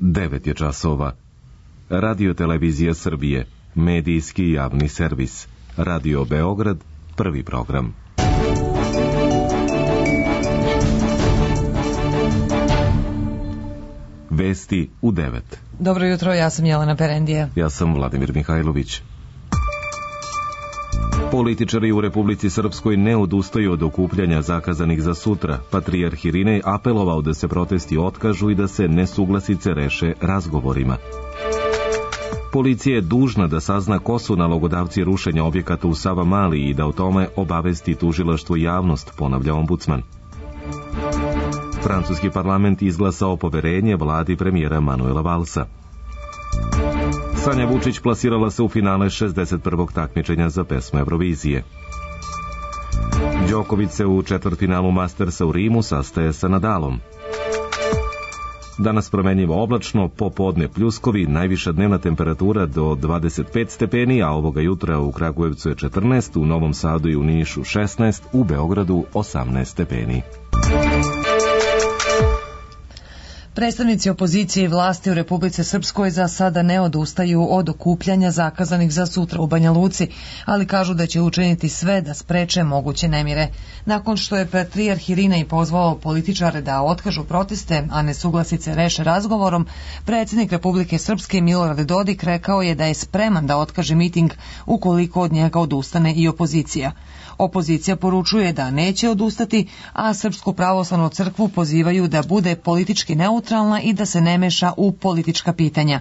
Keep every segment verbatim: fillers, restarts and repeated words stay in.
devet je časova. Radio Televizija Srbije, medijski javni servis. Radio Beograd, prvi program. Vesti u devet. Dobro jutro, ja sam Jelena Perendija. Ja sam Vladimir Mihajlović. Političari u Republici Srpskoj ne odustaju od okupljanja zakazanih za sutra. Patrijarh Irinej apelovao da se protesti otkažu i da se nesuglasice reše razgovorima. Policija je dužna da sazna ko su nalogodavci rušenja objekata u Savamali i da o tome obavesti tužilaštvo i javnost, ponavlja ombudsman. Francuski parlament izglasao poverenje vladi premijera Manuela Valsa. Sanja Vučić plasirala se u finale šezdeset prvog takmičenja za pesmu Eurovizije. Đoković se u četvrtfinalu Mastersa u Rimu sastaje sa Nadalom. Danas promenljivo oblačno, popodne pljuskovi, najviša dnevna temperatura do dvadeset pet stepeni, a ovoga jutra u Kragujevcu je četrnaest, u Novom Sadu i u Nišu šesnaest, u Beogradu osamnaest stepeni. Predstavnici opozicije i vlasti u Republici Srpskoj za sada ne odustaju od okupljanja zakazanih za sutra u Banja Luci, ali kažu da će učiniti sve da spreče moguće nemire. Nakon što je patrijarh Irinej pozvao političare da otkažu proteste, a nesuglasice reše razgovorom, predsjednik Republike Srpske Milorad Dodik rekao je da je spreman da otkaže miting ukoliko od njega odustane i opozicija. Opozicija poručuje da neće odustati, a Srpsku pravoslavnu crkvu pozivaju da bude politički neutralna i da se ne meša u politička pitanja.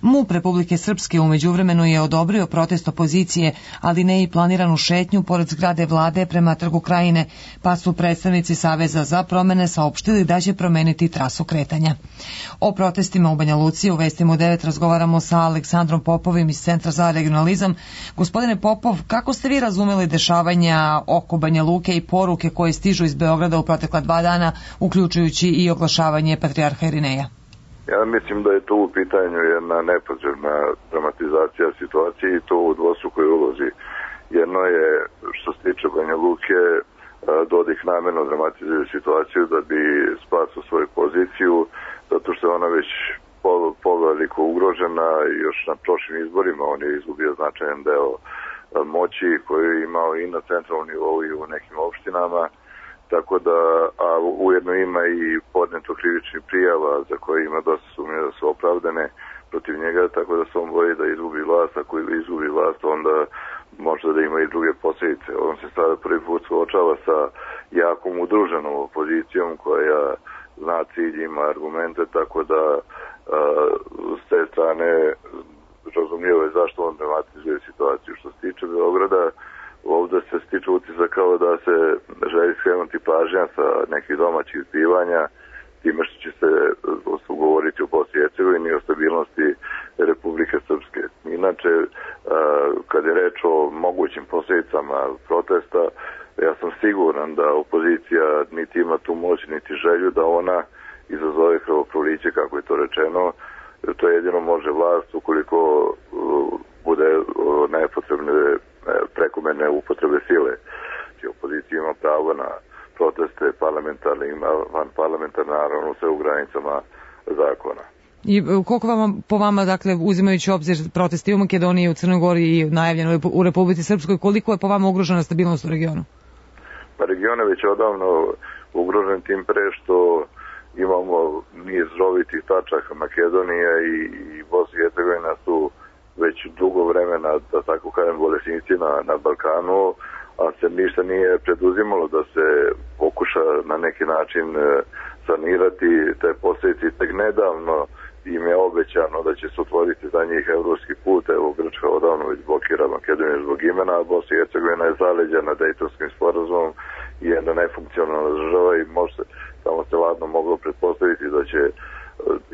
MUP Republike Srpske u međuvremenu je odobrio protest opozicije, ali ne i planiranu šetnju pored zgrade vlade prema Trgu Krajine, pa su predstavnici Saveza za promene saopštili da će promeniti trasu kretanja. O protestima u Banja Luci u Vestima u devet razgovaramo sa Aleksandrom Popovim iz Centra za regionalizam. Gospodine Popov, kako ste vi razumeli dešavanja oko Banja Luke i poruke koje stižu iz Beograda u protekla dva dana, uključujući i oglašavanje patrijarha Irineja? Ja mislim da je tu u pitanju jedna nepotrebna dramatizacija situacije i to u dvostrukoj ulozi. Jedno je, što se tiče Banja Luke, Dodik namjerno dramatizuje situaciju da bi spasio svoju poziciju, zato što je ona već poveliko ugrožena. Još na prošlim izborima on je izgubio značajan deo moći koju je imao i na centralnom nivou i u nekim opštinama. Tako da, a ujedno ima i podneto krivičnih prijava za koje ima dosta sumnje da su opravdane protiv njega, tako da se on boji da izgubi vlast. Ako izgubi vlast, onda možda da ima i druge posljedice. On se sada prvi put suočava sa jakom udruženom opozicijom koja zna cilj, ima argumente, tako da a, s te strane razumljivo je zašto on dramatizuje situaciju. Što se tiče Beograda, ovdje se stiče utisak kao da se želi skrenuti pažnja sa nekih domaćih zbivanja, time što će se govoriti o Bosni i Hercegovini i o stabilnosti Republike Srpske. Inače, kad je reč o mogućim posljedicama protesta, ja sam siguran da opozicija niti ima tu moć, niti želju da ona izazove krvoproliće, kako je to rečeno. To jedino može vlast ukoliko bude nepotrebne prekomerne upotrebe sile. Opozicija ima pravo na proteste parlamentarne i vanparlamentarne, naravno sve u granicama zakona. I koliko vama, po vama, dakle, uzimajući obzir proteste u Makedoniji, u Crnoj Gori i najavljeno u Republici Srpskoj, koliko je po vama ugrožena stabilnost u regionu? Pa region je već odavno ugrožen tim pre što imamo niz rovitih tačaka. Makedonija i, i Bosna i Hercegovina su već dugo vremena, da tako kažem, bolesnici na, na Balkanu, a se ništa nije preduzimalo da se pokuša na neki način sanirati te posljedice. Tek nedavno im je obećano da će se otvoriti za njih evropski put. Evo, Grčka odavno već blokira Makedoniju zbog imena, a Bosna i Hercegovina je zaleđena Dejtonskim sporazumom i jedna nefunkcionalna država i može samo se ladno moglo pretpostaviti da će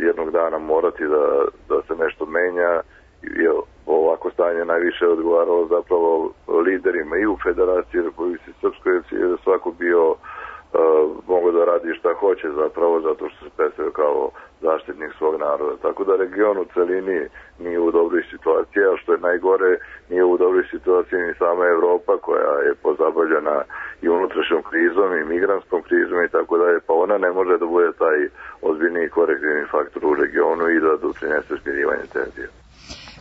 jednog dana morati da, da se nešto menja. Ovako stanje najviše odgovaralo zapravo liderima i u Federaciji Republike Srpskoj, jer je svako bio mogu da radi šta hoće zapravo zato što se predstavlja kao zaštitnik svog naroda. Tako da region u celini nije u dobroj situaciji, a što je najgore, nije u dobroj situaciji ni sama Evropa koja je pozabavljena i unutrašnjom krizom i migranskom krizom i tako dalje, pa ona ne može da bude taj ozbiljniji korektivni faktor u regionu i da doprinese smirivanje tenzija.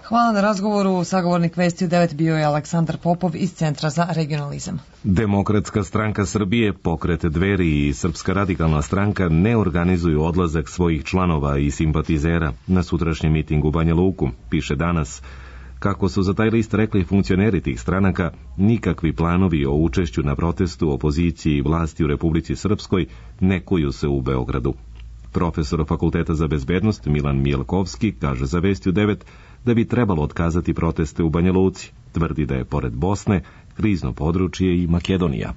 Hvala na razgovoru. Sagovornik Vesti u devet bio je Aleksandar Popov iz Centra za regionalizam. Demokratska stranka Srbije, Pokret Dveri i Srpska radikalna stranka ne organizuju odlazak svojih članova i simpatizera na sutrašnjem mitingu u Banja Luku, piše Danas. Kako su za taj list rekli funkcioneri tih stranaka, nikakvi planovi o učešću na protestu opoziciji i vlasti u Republici Srpskoj ne kuju se u Beogradu. Profesor Fakulteta za bezbednost Milan Mijelkovski kaže za Vesti u devet da bi trebalo otkazati proteste u Banja Luci. Tvrdi da je pored Bosne krizno područje i Makedonija.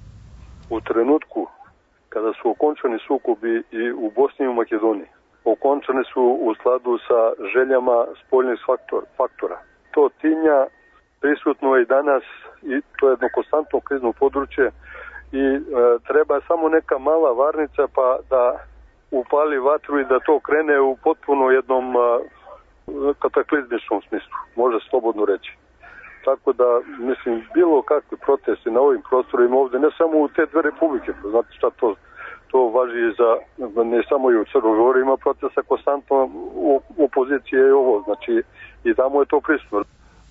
U trenutku kada su okončani sukobi i u Bosni i u Makedoniji, okončani su u skladu sa željama spoljnih faktor, faktora. To tinja prisutno je i danas i to je jedno konstantno krizno područje i e, treba samo neka mala varnica pa da upali vatru i da to krene u potpuno jednom e, kataklizmičnom smislu, može slobodno reći. Tako da, mislim, bilo kakve proteste na ovim prostorima ovde, ne samo u te dve republike, znate šta to, to važi za, ne samo i u Crnoj Gori, ima protesta konstantno u opozicije i ovo, znači i tamo je to prisutno.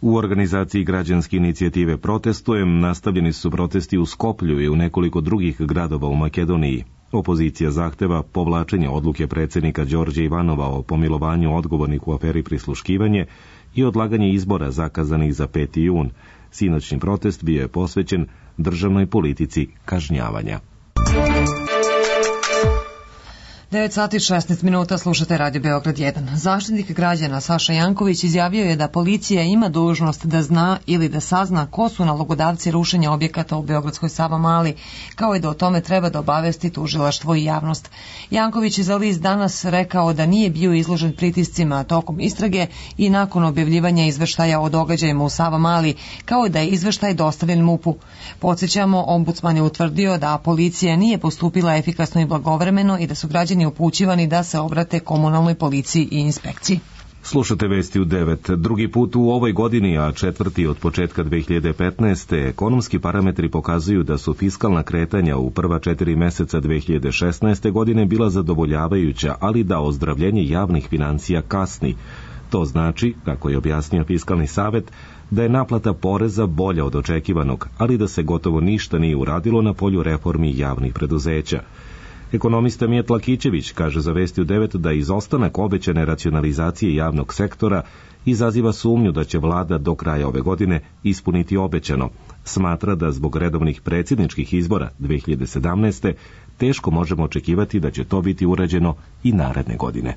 U organizaciji građanske inicijative Protestujem nastavljeni su protesti u Skoplju i u nekoliko drugih gradova u Makedoniji. Opozicija zahteva povlačenje odluke predsjednika Đorđa Ivanova o pomilovanju odgovornih u aferi prisluškivanje i odlaganje izbora zakazanih za peti jun. Sinoćni protest bio je posvećen državnoj politici kažnjavanja. devet sati i šesnaest minuta, slušate Radio Beograd jedan. Zaštitnik građana Saša Janković izjavio je da policija ima dužnost da zna ili da sazna ko su nalogodavci rušenja objekata u Beogradskoj Savamali, kao i da o tome treba da obavesti tužilaštvo i javnost. Janković je za list Danas rekao da nije bio izložen pritiscima tokom istrage i nakon objavljivanja izveštaja o događajima u Savamali, kao i da je izveštaj dostavljen MUP-u. Podsjećamo, ombudsman je utvrdio da policija nije postupila efikasno i blagovremeno i da su građani upućivani da se obrate komunalnoj policiji i inspekciji. Slušate Vesti u devet. Drugi put u ovoj godini, a četvrti od početka dve hiljade petnaeste. ekonomski parametri pokazuju da su fiskalna kretanja u prva četiri meseca dve hiljade šesnaeste. godine bila zadovoljavajuća, ali da ozdravljenje javnih financija kasni. To znači, kako je objasnio Fiskalni savet, da je naplata poreza bolja od očekivanog, ali da se gotovo ništa nije uradilo na polju reformi javnih preduzeća. Ekonomista Mijat Lakićević kaže za Vesti u devet da izostanak obećane racionalizacije javnog sektora izaziva sumnju da će vlada do kraja ove godine ispuniti obećano. Smatra da zbog redovnih predsjedničkih izbora dve hiljade sedamnaeste. teško možemo očekivati da će to biti urađeno i naredne godine.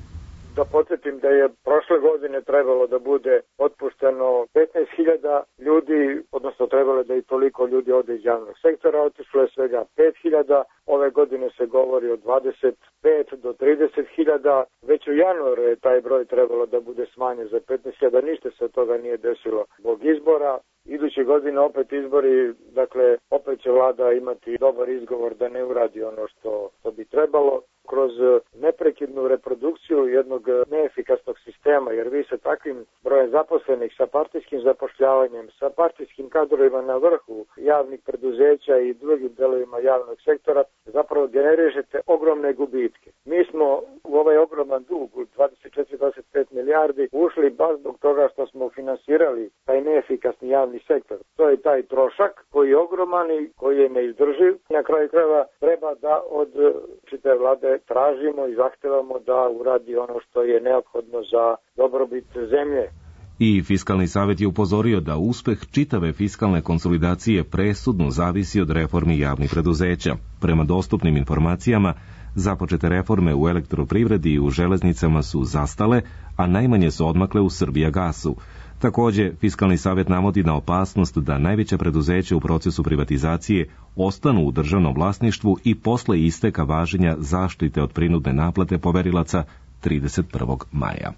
Da podsjetim da je prošle godine trebalo da bude otpušteno petnaest hiljada ljudi, odnosno trebalo da i toliko ljudi ode iz javnog sektora, otišlo je svega pet hiljada, ove godine se govori o dvadeset pet do trideset hiljada, već u januaru je taj broj trebalo da bude smanjen za petnaest hiljada, ništa se od toga nije desilo zbog izbora. Iduće godine opet izbori, dakle opet će vlada imati dobar izgovor da ne uradi ono što, što bi trebalo. Kroz neprekidnu reprodukciju jednog neefikasnog sistema, jer vi sa takvim brojem zaposlenih, sa partijskim zapošljavanjem, sa partijskim kadrovima na vrhu javnih preduzeća i drugim delovima javnog sektora, zapravo generišete ogromne gubitke. Mi smo u ovaj ogroman dug, dvadeset četiri do dvadeset pet milijardi, ušli baš zbog toga što smo finansirali taj neefikasni javni sektor. To je taj trošak koji je ogroman i koji je neizdrživ. Na kraju krajeva treba da od čitave vlade tražimo i zahtevamo da uradi ono što je neophodno za dobrobit zemlje. I Fiskalni savet je upozorio da uspeh čitave fiskalne konsolidacije presudno zavisi od reformi javnih preduzeća. Prema dostupnim informacijama, započete reforme u elektroprivredi i u železnicama su zastale, a najmanje su odmakle u Srbijagasu. Također, Fiskalni savet navodi na opasnost da najveća preduzeća u procesu privatizacije ostanu u državnom vlasništvu i posle isteka važenja zaštite od prinudne naplate poverilaca trideset prvog maja.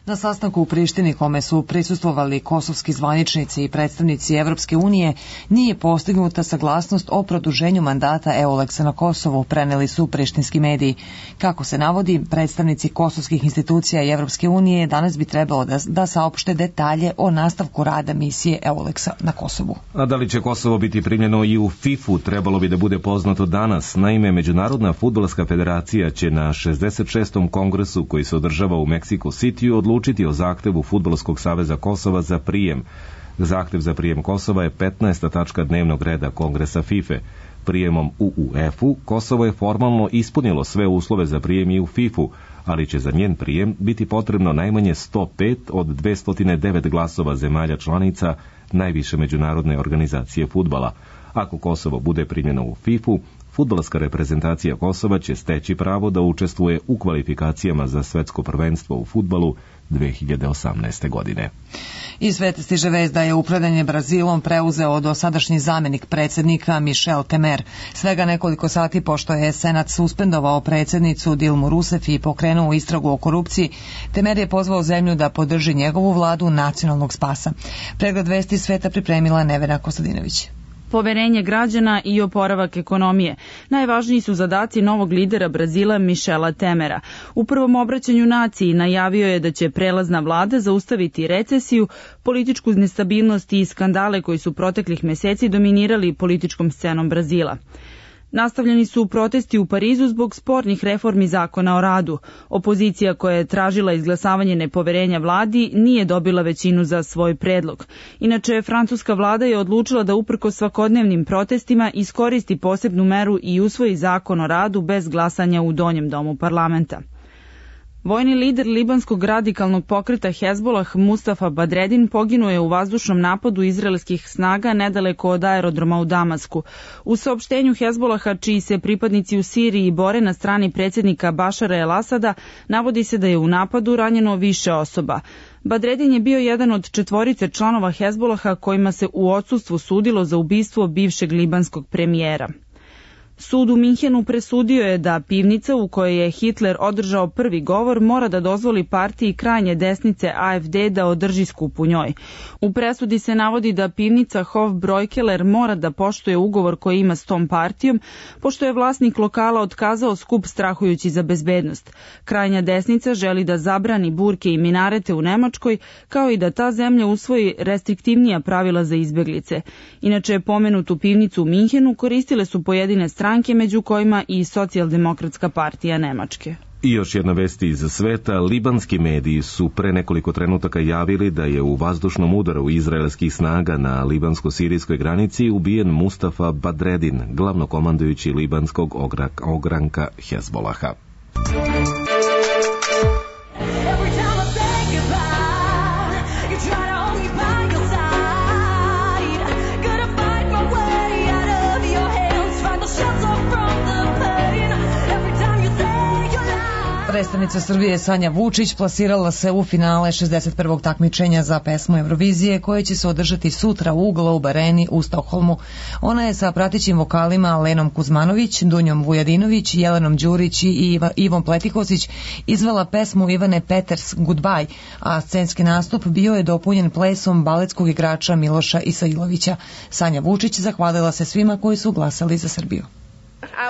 Na sastanku u Prištini, kome su prisustvovali kosovski zvaničnici i predstavnici Evropske unije, nije postignuta saglasnost o produženju mandata Euleksa na Kosovu, preneli su prištinski mediji. Kako se navodi, predstavnici kosovskih institucija i Evropske unije danas bi trebalo da, da saopšte detalje o nastavku rada misije Euleksa na Kosovu. A da li će Kosovo biti primljeno i u fifu, trebalo bi da bude poznato danas. Naime, Međunarodna fudbalska federacija će na šezdeset šestom kongresu koji se održava u Meksiko Cityu odlučiti o zahtevu Fudbalskog saveza Kosova za prijem. Zahtev za prijem Kosova je petnaesta tačka dnevnog reda Kongresa fife. Prijemom u U E F-u Kosovo je formalno ispunilo sve uslove za prijem i u fifu, ali će za njen prijem biti potrebno najmanje sto pet od dvesta devet glasova zemalja članica najviše međunarodne organizacije fudbala. Ako Kosovo bude primljeno u fifu, fudbalska reprezentacija Kosova će steći pravo da učestvuje u kvalifikacijama za svetsko prvenstvo u fudbalu dve hiljade osamnaeste. godine. Iz sveta stiže vest da je upravljanje Brazilom preuzeo dosadašnji zamenik predsjednika Michel Temer. Svega nekoliko sati pošto je Senat suspendovao predsjednicu Dilmu Rousseff i pokrenuo istragu o korupciji, Temer je pozvao zemlju da podrži njegovu vladu nacionalnog spasa. Pregled vesti sveta pripremila Nevena Kostadinović. Poverenje građana i oporavak ekonomije. Najvažniji su zadaci novog lidera Brazila Michela Temera. U prvom obraćanju naciji najavio je da će prelazna vlada zaustaviti recesiju, političku nestabilnost i skandale koji su proteklih meseci dominirali političkom scenom Brazila. Nastavljeni su protesti u Parizu zbog spornih reformi zakona o radu. Opozicija koja je tražila izglasavanje nepoverenja vladi nije dobila većinu za svoj predlog. Inače, francuska vlada je odlučila da uprkos svakodnevnim protestima iskoristi posebnu meru i usvoji zakon o radu bez glasanja u donjem domu parlamenta. Vojni lider libanskog radikalnog pokreta Hezbolah Mustafa Badredin poginuo je u vazdušnom napadu izraelskih snaga nedaleko od aerodroma u Damasku. U saopštenju Hezbolaha, čiji se pripadnici u Siriji bore na strani predsjednika Bašara el-Asada, navodi se da je u napadu ranjeno više osoba. Badredin je bio jedan od četvorice članova Hezbolaha kojima se u odsustvu sudilo za ubistvo bivšeg libanskog premijera. Sud u Minhenu presudio je da pivnica u kojoj je Hitler održao prvi govor mora da dozvoli partiji krajnje desnice A F D da održi skup u njoj. U presudi se navodi da pivnica Hofbräukeller mora da poštuje ugovor koji ima s tom partijom, pošto je vlasnik lokala otkazao skup strahujući za bezbednost. Krajnja desnica želi da zabrani burke i minarete u Nemačkoj, kao i da ta zemlja usvoji restriktivnija pravila za izbeglice. Inače, pomenutu pivnicu u Minhenu koristile su pojedine stranke, među kojima i Socijaldemokratska partija Nemačke. I još jedna vest iz sveta. Libanski mediji su pre nekoliko trenutaka javili da je u vazdušnom udaru izraelskih snaga na libansko-sirijskoj granici ubijen Mustafa Badredin, glavnokomandujući libanskog ogranka Hezbolaha. Predstavnica Srbije Sanja Vučić plasirala se u finale šezdeset prvog takmičenja za pesmu Eurovizije koje će se održati sutra u Globe Areni u Stokholmu. Ona je sa pratećim vokalima Lenom Kuzmanović, Dunjom Vujadinović, Jelenom Đurić i Ivom Pletikosić izvela pesmu Ivane Peters Goodbye, a scenski nastup bio je dopunjen plesom baletskog igrača Miloša Isailovića. Sanja Vučić zahvalila se svima koji su glasali za Srbiju.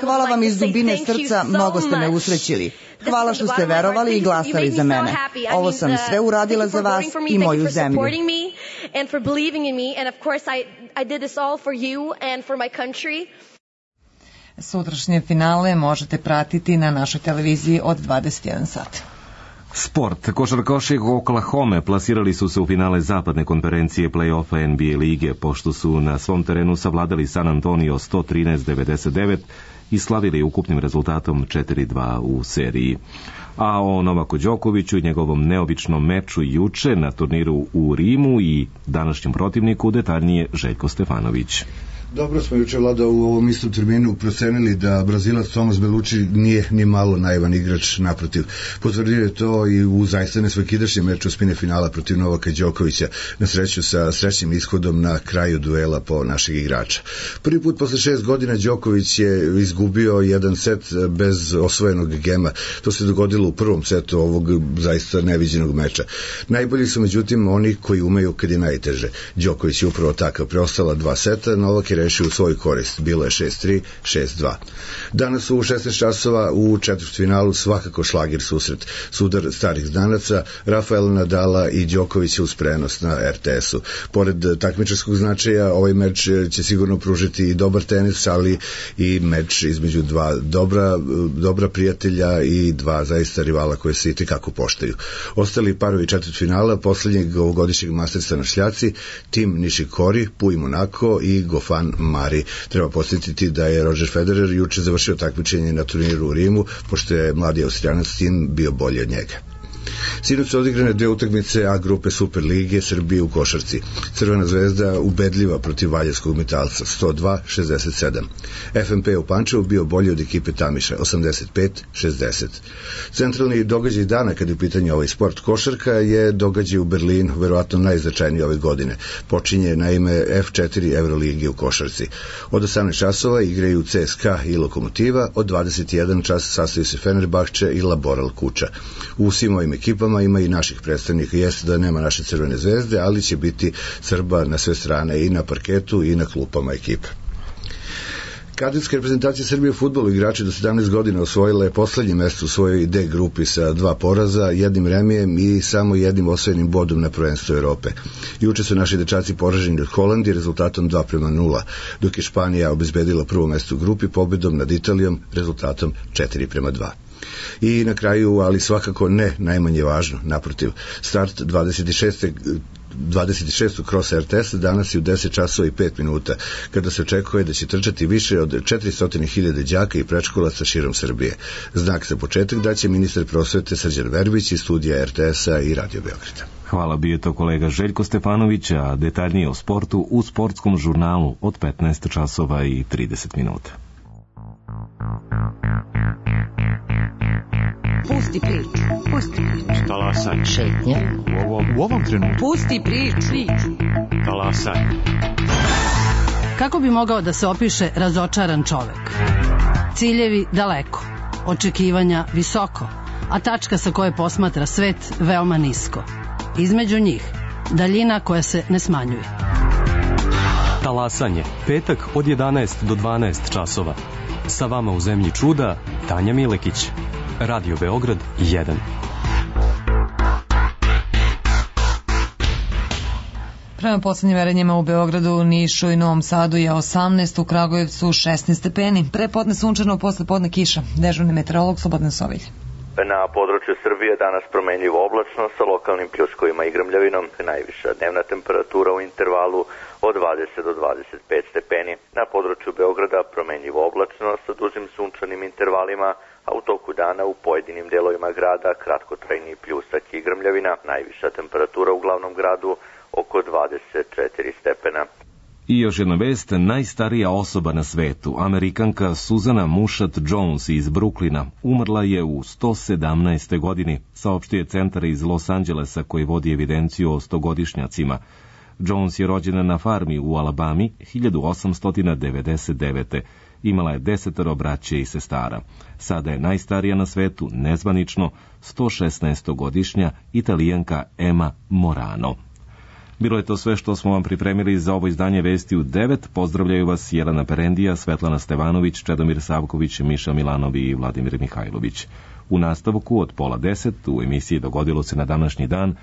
Hvala vam iz dubine srca, mnogo ste me usrećili. Hvala što ste verovali i glasali za mene. Ovo sam sve uradila za vas i moju zemlju. Sutrašnje finale možete pratiti na našoj televiziji od dvadeset jedan sat. Sport. Košarkaši Oklahome plasirali su se u finale zapadne konferencije play-offa N B A lige, pošto su na svom terenu savladali San Antonio sto trinaest devedeset devet i slavili ukupnim rezultatom četiri dva u seriji. A o Novaku Đokoviću i njegovom neobičnom meču juče na turniru u Rimu i današnjem protivniku detaljnije Željko Stefanović. Dobro smo juče, Vlada, u ovom istom terminu procenili da Brazilac Tomas Belucci nije ni malo naivan igrač, naprotiv. Potvrdio je to i u zaista nesvakidašnjem meču osmine finala protiv Novaka Đokovića, na sreću sa srećnim ishodom na kraju duela po našeg igrača. Prvi put posle šest godina Đoković je izgubio jedan set bez osvojenog gema. To se dogodilo u prvom setu ovog zaista neviđenog meča. Najbolji su međutim oni koji umeju kad je najteže. Đoković je upravo takav. Preostala dva seta, Novak je rešio u svoju korist. Bilo je šest tri, šest dva. Danas u šesnaest časova u četvrtfinalu svakako šlagir susret. Sudar starih znanaca, Rafael Nadala i Đokovića uz prenos na er te esu. Pored takmičarskog značaja, ovaj meč će sigurno pružiti i dobar tenis, ali i meč između dva dobra, dobra prijatelja i dva zaista rivala koje se itekako poštaju. Ostali parovi četvrtfinala poslednjeg ovogodišnjeg Mastersa na šljaci, Tim Nishikori, Pui Monako i Gofan Mari. Treba posjetiti da je Roger Federer juče završio takmičenje na turniru u Rimu, pošto je mladi Austrijanac Tim bio bolji od njega. Sinoć su odigrane dve utakmice A grupe Super lige Srbije u košarci. Crvena zvezda ubedljiva protiv valjevskog Metalca sto dva šezdeset sedam. ef em pe u Pančevu bio bolji od ekipe Tamiša osamdeset pet šezdeset. Centralni događaj dana kad je u pitanju ovaj sport košarka je događaj u Berlinu, verovatno najznačajniji ove godine. Počinje na ime ef četiri Evrolige u košarci. Od osamnaest časova igraju ce es ka i Lokomotiva, od dvadeset jedan čas sastaju se Fenerbahče i Laboral Kuča. U svim ovim ekipama ima i naših predstavnika. Jeste da nema naše Crvene zvezde, ali će biti Srba na sve strane, i na parketu i na klupama ekipe. Kadetska reprezentacija Srbije u fudbalu, igrači do sedamnaest godina, osvojila je poslednje mesto u svojoj D grupi sa dva poraza, jednim remijem i samo jednim osvojenim bodom na prvenstvu Europe. Juče su naši dečaci poraženi od Holandije rezultatom dva prema nula, dok je Španija obezbedila prvo mesto u grupi pobedom nad Italijom rezultatom četiri prema dva. I na kraju, ali svakako ne najmanje važno, naprotiv, start dvadeset šeste dvadeset šestog krosa er te esa danas je u deset časova i pet minuta, kada se očekuje da će trčati više od četiristo hiljada đaka i predškolaca širom Srbije. Znak za početak daće ministar prosvete Srđan Verbić iz studija er te esa i Radio Beograda. Hvala, bio je to kolega Željko Stefanović, a detaljnije o sportu u sportskom žurnalu od petnaest časova i trideset minuta. Pusti priču, pusti priču. Talasaj. Šetnja. U ovom, u ovom trenutku. Pusti priču. Talasaj. Kako bi mogao da se opiše razočaran čovek? Ciljevi daleko, očekivanja visoko, a tačka sa koje posmatra svet veoma nisko. Između njih, daljina koja se ne smanjuje. Talasanje, petak od jedanaest do dvanaest časova. Sa vama u zemlji čuda, Tanja Milekić. Radio Beograd jedan. Prema poslednjim merenjima u Beogradu, Nišu i Novom Sadu je osamnaest, u Kragujevcu šesnaest stepeni. Pre podne sunčano, posle podne kiša. Dežurni meteorolog Slobodan Sovilj. Na području Srbije danas promenljivo oblačno sa lokalnim pljuskovima i grmljavinom. Najviša dnevna temperatura u intervalu od dvadeset do dvadeset pet stepeni. Na području Beograda promenljivo oblačno sa dužim sunčanim intervalima, a u toku dana u pojedinim delovima grada kratkotrajni pljusak i grmljavina. Najviša temperatura u glavnom gradu oko dvadeset četiri stepena. I još jedna vest, najstarija osoba na svetu, Amerikanka Suzana Mushat Jones iz Bruklina, umrla je u sto sedamnaestoj godini, saopštio je centar iz Los Angelesa koji vodi evidenciju o stogodišnjacima. Jones je rođena na farmi u Alabami hiljadu osamsto devedeset devete. Imala je desetoro braće i sestara. Sada je najstarija na svetu, nezvanično, sto šesnaestogodišnja Italijanka Emma Morano. Bilo je to sve što smo vam pripremili za ovo izdanje Vesti u devet. Pozdravljaju vas Jelena Perendija, Svetlana Stevanović, Čedomir Savković, Miša Milanov i Vladimir Mihajlović. U nastavku od pola deset u emisiji Dogodilo se na današnji dan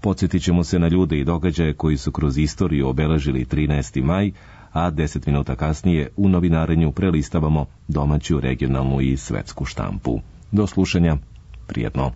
podsjetit ćemo se na ljude i događaje koji su kroz istoriju obeležili trinaesti maj, a deset minuta kasnije u novinarenju prelistavamo domaću, regionalnu i svetsku štampu. Do slušanja, prijetno.